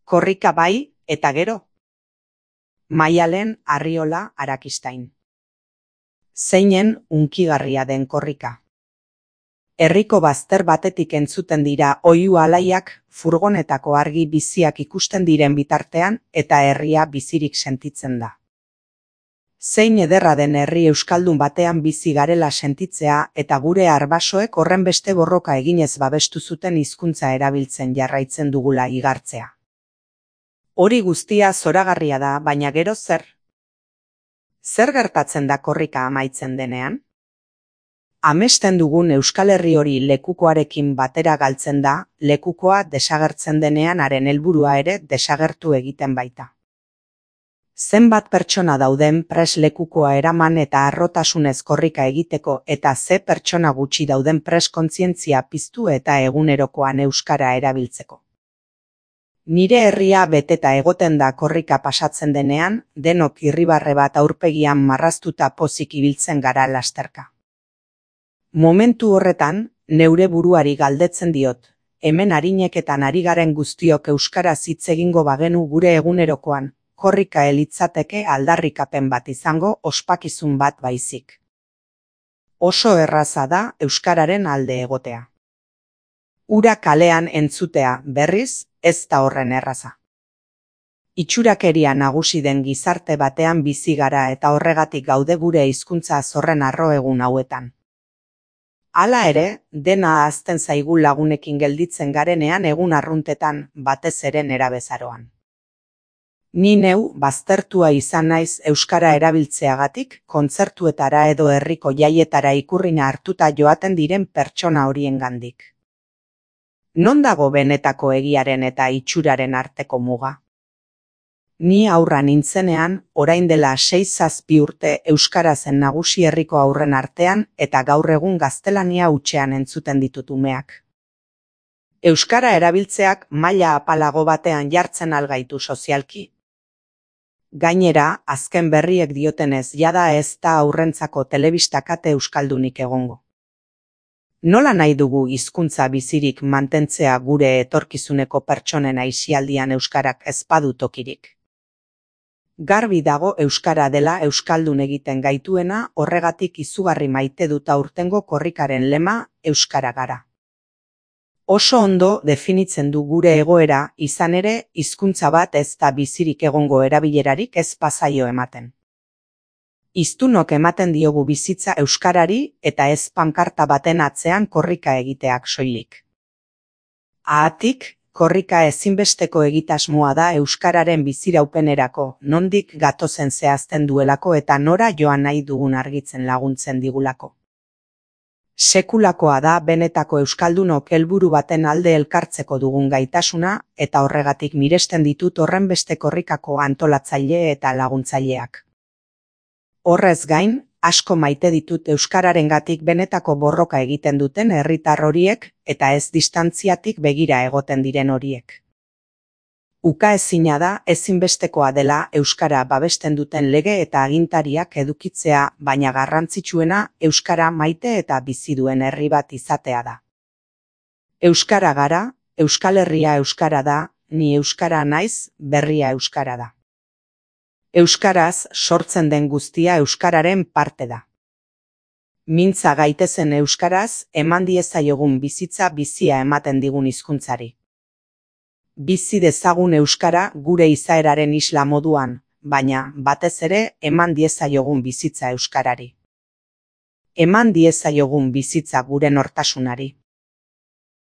Korrika bai, eta gero? Maialen Arriola Arakistain. Zeinen hunkigarria den korrika. Herriko bazter batetik entzuten dira oihu alaiak, furgonetako argi biziak ikusten diren bitartean eta herria bizirik sentitzen da. Zein ederra den herri euskaldun batean bizi garela sentitzea eta gure arbasoek horrenbeste borroka eginez babestu zuten hizkuntza erabiltzen jarraitzen dugula igartzea. Hori guztia zoragarria da, baina gero zer? Zer gertatzen da korrika amaitzen denean? Amesten dugun Euskal Herri hori lekukoarekin batera galtzen da, lekukoa desagertzen denean haren helburua ere desagertu egiten baita. Zenbat pertsona dauden prest lekukoa eraman eta harrotasunez korrika egiteko eta ze pertsona gutxi dauden prest kontzientzia piztu eta egunerokoan euskara erabiltzeko. Nire herria beteta egoten da korrika pasatzen denean, denok irribarre bat aurpegian marraztuta pozik ibiltzen gara lasterka. Momentu horretan, neure buruari galdetzen diot, hemen arineketan ari garen guztiok euskaraz hitz egingo bagenu gure egunerokoan, korrika elitzateke aldarrikapen bat izango ospakizun bat baizik. Oso erraza da euskararen alde egotea. Ura kalean entzutea berriz, ez da horren erraza. Itxurakeria nagusi den gizarte batean bizi gara eta horregatik gaude gure hizkuntza zorren harro egun hauetan. Hala ere, dena ahazten zaigu lagunekin gelditzen garenean egun arruntetan, batez ere nerabezaroan. Ni neu baztertua izan naiz euskara erabiltzeagatik, kontzertuetara edo herriko jaietara ikurrina hartuta joaten diren pertsona horiengandik. Non dago benetako egiaren eta itxuraren arteko muga? Ni haurra nintzenean, orain dela 6-7 urte euskara zen nagusi herriko haurren artean eta gaur egun gaztelania hutsean entzuten ditut umeak. Euskara erabiltzeak maila apalago batean jartzen algaitu sozialki. Gainera, azken berriek diotenez jada ez da haurrentzako telebista kate euskaldunik egongo. Nola nahi dugu hizkuntza bizirik mantentzea gure etorkizuneko pertsonen aisialdian euskarak ez badu tokirik? Garbi dago euskara dela euskaldun egiten gaituena, horregatik izugarri maite dut aurtengo korrikaren lema euskara gara. Oso ondo definitzen du gure egoera, izan ere hizkuntza bat ez da bizirik egongo erabilerarik ez pasaio ematen. Hiztunok ematen diogu bizitza euskarari eta ez pankarta baten atzean korrika egiteak soilik. Haatik, korrika ezinbesteko egitasmoa da euskararen biziraupenerako, nondik gatozen zehazten duelako eta nora joan nahi dugun argitzen laguntzen digulako. Sekulakoa da benetako euskaldunok helburu baten alde elkartzeko dugun gaitasuna eta horregatik miresten ditut horrenbeste korrikako antolatzaile eta laguntzaileak. Horrez gain, asko maite ditut euskararengatik benetako borroka egiten duten herritar horiek eta ez distantziatik begira egoten diren horiek. Ukaezina da ezinbestekoa dela euskara babesten duten lege eta agintariak edukitzea, baina garrantzitsuena euskara maite eta bizi duen herri bat izatea da. Euskara gara, Euskal Herria euskara da, ni euskara naiz, berria euskara da. Euskaraz sortzen den guztia euskararen parte da. Mintza gaitezen euskaraz, eman diezaiogun bizitza bizia ematen digun hizkuntzari. Bizi dezagun euskara gure izaeraren isla moduan, baina batez ere eman diezaiogun bizitza euskarari. Eman diezaiogun bizitza gure nortasunari.